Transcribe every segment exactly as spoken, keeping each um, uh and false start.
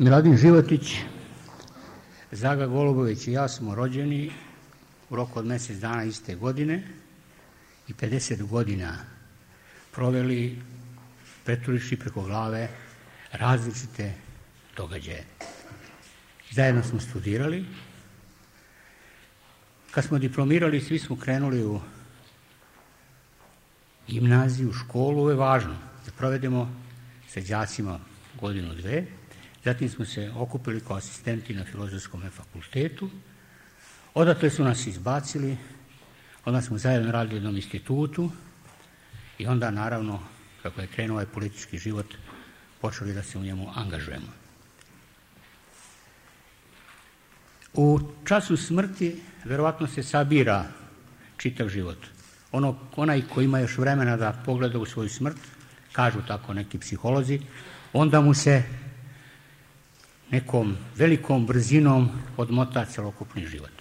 Miladin Životić, Zaga Golubović i ja smo rođeni u roku od mjesec dana iste godine i pedeset godina proveli preturiši preko glave različite događaje. Zajedno smo studirali. Kad smo diplomirali, svi smo krenuli u gimnaziju, u školu. Ovo je važno da provedemo sa đacima godinu, dve. Zatim smo se okupili kao asistenti na Filozofskom fakultetu. Odatle su nas izbacili, onda smo zajedno radili u jednom institutu i onda, naravno, kako je krenuo ovaj politički život, počeli da se u njemu angažujemo. U času smrti verovatno se sabira čitav život. Ono, onaj ko ima još vremena da pogleda u svoju smrt, kažu tako neki psiholozi, onda mu se nekom velikom brzinom odmota celokupni život.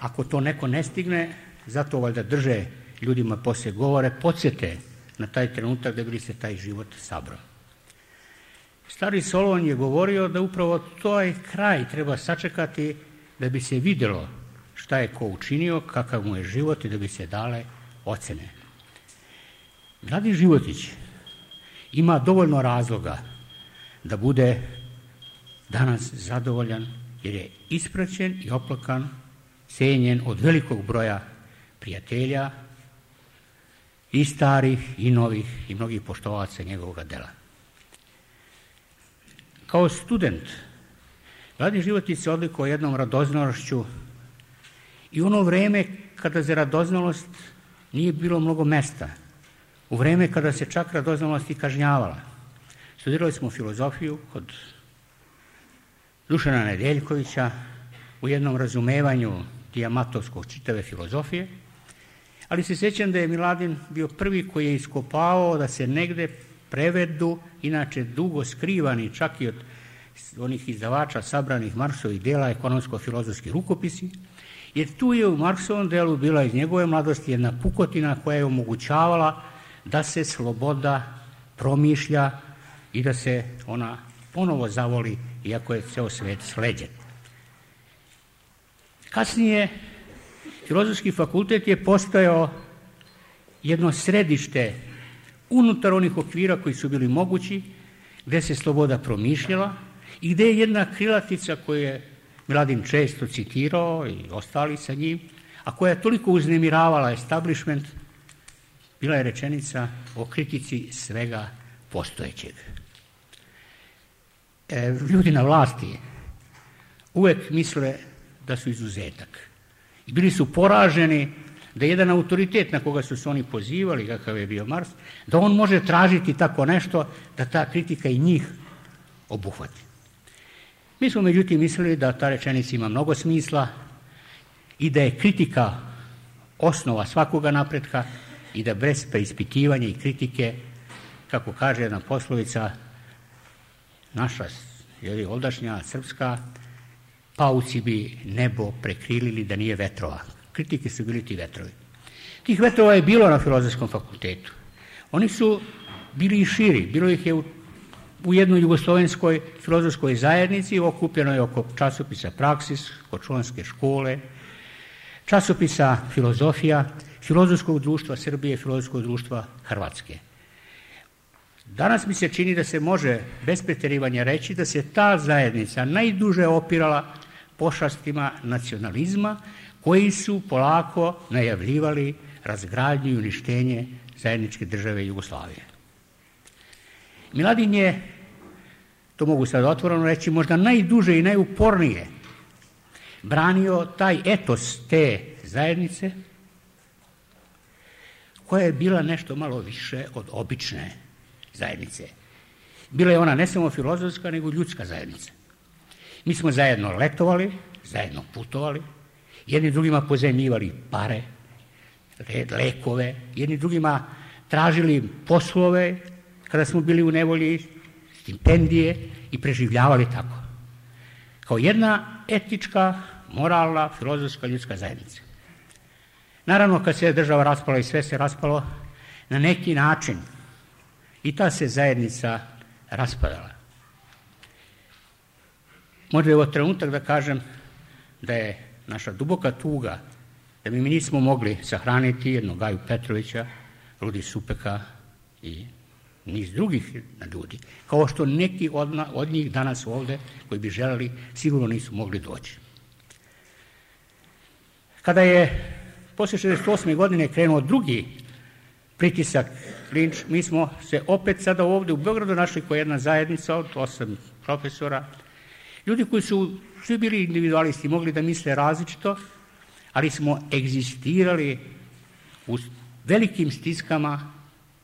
Ako to neko ne stigne, zato valjda drže ljudima poslije govore, podsjete na taj trenutak da bi se taj život sabrao. Stari Solon je govorio da upravo taj kraj treba sačekati da bi se vidjelo šta je ko učinio, kakav mu je život i da bi se dale ocene. Miladin Životić ima dovoljno razloga da bude danas zadovoljan jer je ispraćen i oplakan, cijenjen od velikog broja prijatelja i starih i novih i mnogih poštovaca njegovog dela. Kao student, Miladin Životić se odlikovao jednom radoznalošću i u ono vreme kada za radoznalost nije bilo mnogo mesta, u vreme kada se čak radoznalost i kažnjavala. Studirali smo filozofiju kod Dušana Nedeljkovića u jednom razumevanju Dijamatovskog čitave filozofije, ali se sjećam da je Miladin bio prvi koji je iskopao da se negde prevedu, inače dugo skrivani čak i od onih izdavača sabranih Marksovih dela, ekonomsko-filozofski rukopisi, jer tu je u Marksovom delu bila iz njegove mladosti jedna pukotina koja je omogućavala da se sloboda promišlja i da se ona ponovo zavoli, iako je ceo svet sleđen. Kasnije, Filozofski fakultet je postojao jedno središte unutar onih okvira koji su bili mogući, gde se sloboda promišljala i gde je jedna krilatica koju je Miladin često citirao i ostali sa njim, a koja je toliko uznemiravala establishment, bila je rečenica o kritici svega postojećeg. E, ljudi na vlasti uvek misle da su izuzetak. I bili su poraženi da jedan autoritet na koga su se oni pozivali, kakav je bio Marks, da on može tražiti tako nešto, da ta kritika i njih obuhvati. Mi smo međutim mislili da ta rečenica ima mnogo smisla i da je kritika osnova svakoga napretka i da bez preispitivanja i kritike, kako kaže jedna poslovica, naša, jer ovdašnja srpska, pauci bi nebo prekrilili da nije vetrova. Kritike su bili ti vetrovi. Tih vetrova je bilo na Filozofskom fakultetu. Oni su bili i širi. Bilo ih je u, u jednoj jugoslovenskoj filozofskoj zajednici, okupljenoj oko časopisa Praksis, Kočulanske škole, časopisa Filozofija, Filozofskog društva Srbije, Filozofskog društva Hrvatske. Danas mi se čini da se može bez preterivanja reći da se ta zajednica najduže opirala pošastima nacionalizma koji su polako najavljivali razgradnju i uništenje zajedničke države Jugoslavije. Miladin je, to mogu sad otvoreno reći, možda najduže i najupornije branio taj etos te zajednice koja je bila nešto malo više od obične zajednice. Bila je ona ne samo filozofska, nego ljudska zajednica. Mi smo zajedno letovali, zajedno putovali, jedni drugima pozajmljivali pare, lekove, jedni drugima tražili poslove kada smo bili u nevolji, stipendije i preživljavali tako. Kao jedna etička, moralna, filozofska, ljudska zajednica. Naravno, kad se država raspala i sve se raspalo, na neki način i ta se zajednica raspadala. Možda je ovo trenutak da kažem da je naša duboka tuga da mi nismo mogli sahraniti jednog Gaju Petrovića, Rudi Supeka i niz drugih ljudi, kao što neki od, na, od njih danas ovde koji bi želeli sigurno nisu mogli doći. Kada je posle šezdeset osme godine krenuo drugi pritisak, linč, mi smo se opet sada ovde u Beogradu našli kao jedna zajednica od osam profesora, ljudi koji su svi bili individualisti, mogli da misle različito, ali smo egzistirali u velikim stiskama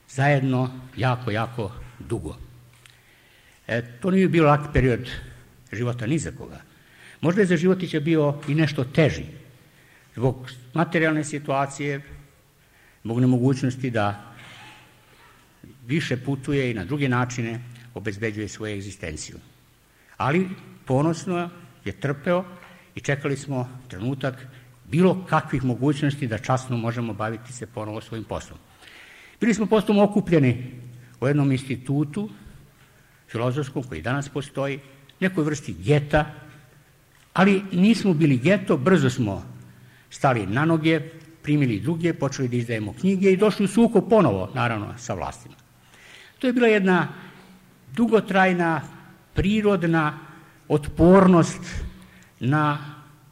zajedno jako, jako dugo. E, to nije bio lak period života ni za koga. Možda je za Životića bio i nešto teži, zbog materijalne situacije, zbog nemogućnosti da više putuje i na druge načine obezbeđuje svoju egzistenciju. Ali ponosno je trpeo i čekali smo trenutak bilo kakvih mogućnosti da časno možemo baviti se ponovo svojim poslom. Bili smo postom okupljeni u jednom institutu filozofskom koji danas postoji, nekoj vrsti geta, ali nismo bili geto, brzo smo stali na noge, primili druge, počeli da izdajemo knjige i došli u sukob ponovo, naravno, sa vlastima. To je bila jedna dugotrajna, prirodna otpornost na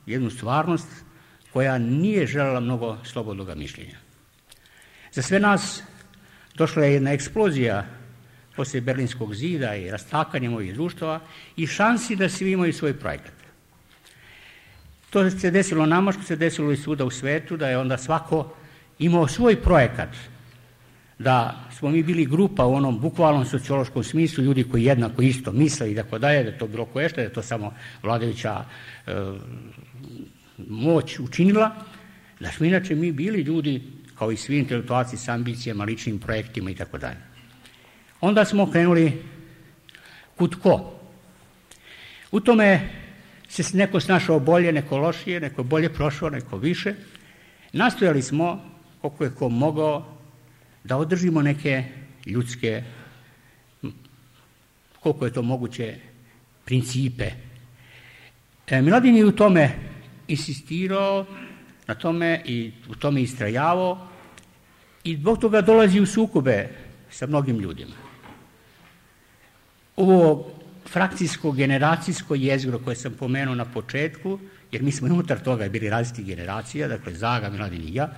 jednu stvarnost koja nije želela mnogo slobodnog mišljenja. Za sve nas došla je jedna eksplozija posle Berlinskog zida i rastakanjem ovih društava i šansi da svi imaju svoj projekat. To se desilo nama, što se desilo i svuda u svetu, da je onda svako imao svoj projekat, da smo mi bili grupa u onom bukvalnom sociološkom smislu, ljudi koji jednako isto misle i tako dalje, da je to bilo koje što, da je to samo vladajuća e, moć učinila, da smo inače mi bili ljudi kao i svi intelektualci s ambicijama, ličnim projektima i tako dalje. Onda smo krenuli kud ko. U tome se neko snašao bolje, neko lošije, neko bolje prošao, neko više. Nastojali smo, koliko je ko mogao, da održimo neke ljudske, koliko je to moguće, principe. E, Miladin je u tome insistirao, na tome i u tome istrajavao i zbog toga dolazi u sukobe sa mnogim ljudima. Ovo frakcijsko, generacijsko jezgro koje sam pomenuo na početku, jer mi smo unutar toga bili različitih generacija, dakle Zaga, Miladin i ja,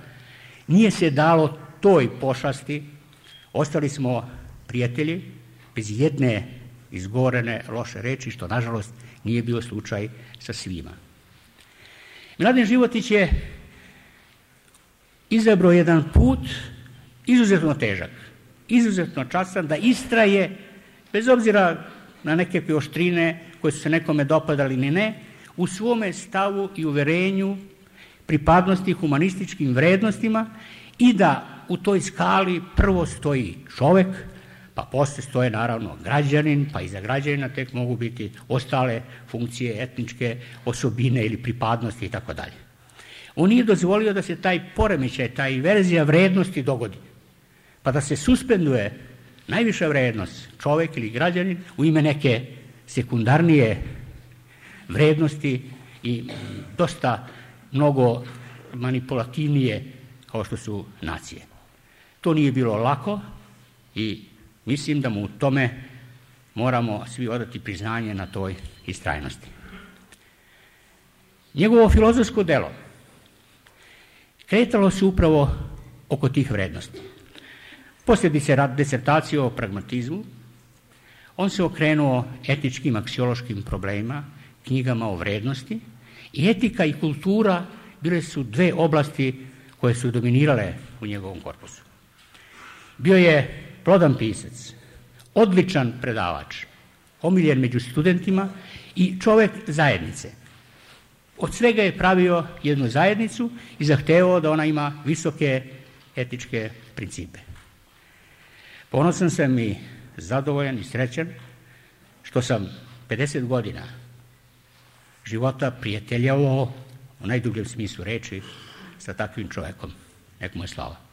nije se dalo toj pošasti, ostali smo prijatelji bez jedne izgovorene loše reči, što nažalost nije bio slučaj sa svima. Miladin Životić je izabrao jedan put izuzetno težak, izuzetno častan, da istraje, bez obzira na neke oštrine koje su se nekome dopadali ni ne, u svome stavu i uverenju, pripadnosti humanističkim vrednostima i da u toj skali prvo stoji čovek, pa posle stoje naravno građanin, pa iza građanina tek mogu biti ostale funkcije, etničke osobine ili pripadnosti i tako dalje. On nije dozvolio da se taj poremećaj, ta inverzija vrednosti dogodi, pa da se suspenduje najviša vrednost, čovek ili građanin, u ime neke sekundarnije vrednosti i dosta mnogo manipulativnije kao što su nacije. To nije bilo lako i mislim da mu u tome moramo svi odati priznanje na toj istrajnosti. Njegovo filozofsko delo kretalo se upravo oko tih vrednosti. Posle disertacije o pragmatizmu, on se okrenuo etičkim, aksiološkim problemima, knjigama o vrednosti i etika i kultura bile su dve oblasti koje su dominirale u njegovom korpusu. Bio je plodan pisac, odličan predavač, omiljen među studentima i čovek zajednice. Od svega je pravio jednu zajednicu i zahtevao da ona ima visoke etičke principe. Ponosan sam i zadovoljan i srećan što sam pedeset godina života prijateljavao u najdubljem smislu reči sa takvim čovekom. Nek mu je slava.